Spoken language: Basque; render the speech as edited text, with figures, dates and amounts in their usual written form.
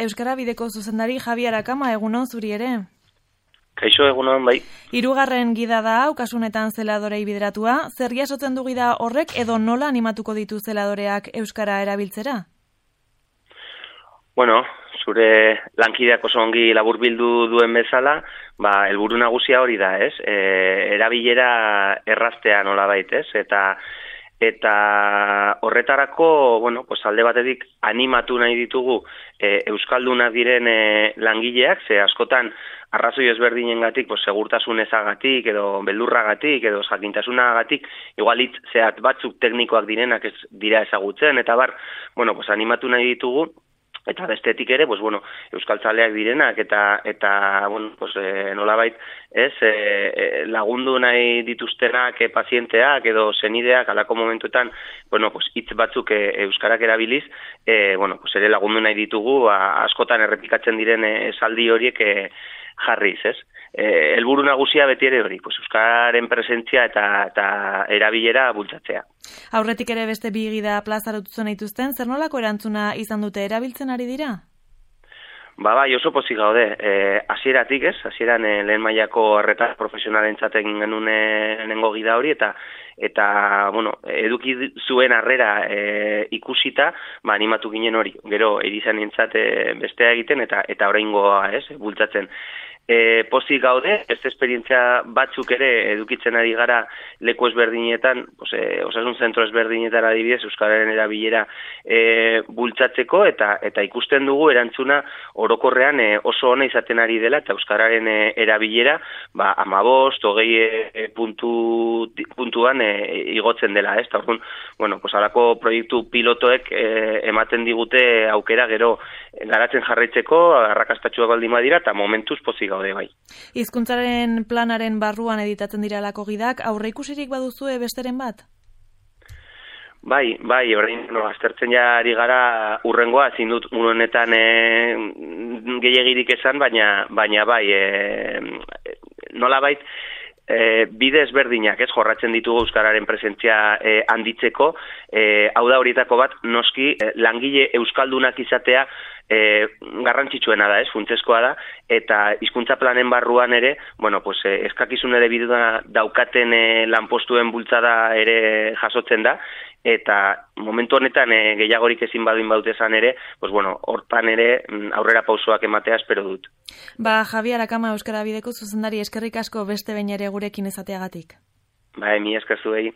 Euskara Bideko zuzendari Javi Arakama, egunon zuri ere. Kaixo, egunon, bai. 3. gida da hau, kasunetan zeladorei bideratua. Zer jasotzen du gida horrek edo nola animatuko ditu zeladoreak Euskara erabiltzera? Bueno, zure lankideak oso ongi laburbildu duen bezala, helburu nagusia hori da, ez? Erabilera erraztea nolabait, ez? Eta horretarako, alde batetik animatu nahi ditugu euskaldunak diren langileak, ze askotan arrazoi ezberdinengatik, segurtasun ezagatik edo beldurragatik edo jakintasunagatik, igual hitz zehat batzuk teknikoak direnak ez dira ezagutzen, eta animatu nahi ditugu. Eta bestetik ere, euskaltzaleak direnak eta nolabait, lagundu nahi dituztenak pazienteak edo senideak alako momentuetan, hitz batzuk euskarak erabiliz, ere lagundu nahi ditugu, askotan errepikatzen diren esaldi horiek jarriz, ez? Helburu nagusia beti ere hori, euskaren presentzia eta erabilera bultzatzea. Aurretik ere beste bi gida plazaratutzen dituzten, zer nolako erantzuna izan dute, erabiltzen ari dira? Bai, oso pozik gaude. Hasieratik, ez? Hasieran lehen mailako arreta profesionalentzat egin genuen lehenengo gida hori eta eduki zuen harrera ikusita, animatu ginen hori. Gero erizanentzat bestea egiten eta oraingoa, ez? Bultzatzen. Pozik gaude, beste esperientzia batzuk ere edukitzen ari gara leku ezberdinetan, osasun zentro ezberdinetan adibidez, euskararen erabilera bultzatzeko eta ikusten dugu erantzuna orokorrean oso ona izaten ari dela eta euskararen erabilera 15-20 puntuan igotzen dela, ez? Orduan, halako proiektu pilotoek ematen digute aukera gero garatzen jarraitzeko, arrakastatsuak baldin badira eta momentuz pozik gaude bai. Hizkuntzaren planaren barruan editatzen dira alako gidak, aurreikusirik baduzue besteren bat? Bai, orain aztertzen ari gara urrengoa, ezin dut honetan gehiegirik esan, baina bai, nolabait bide ezberdinak, ez, jorratzen ditugu euskararen presentzia handitzeko, hau da horietako bat, noski langile euskaldunak izatea garrantzitsuena da, ez, funtsezkoa da, eta hizkuntza planen barruan ere, eskakizun ere bidea daukaten lanpostuen bultzada ere jasotzen da, eta momentu honetan gehiagorik ezin badin bautezan ere, hortan ere aurrera pausoak ematea espero dut. Javi Arakama, Euskara Bideko zuzendari, eskerrik asko beste behin ere gurekin ezateagatik. Mi esker zuei.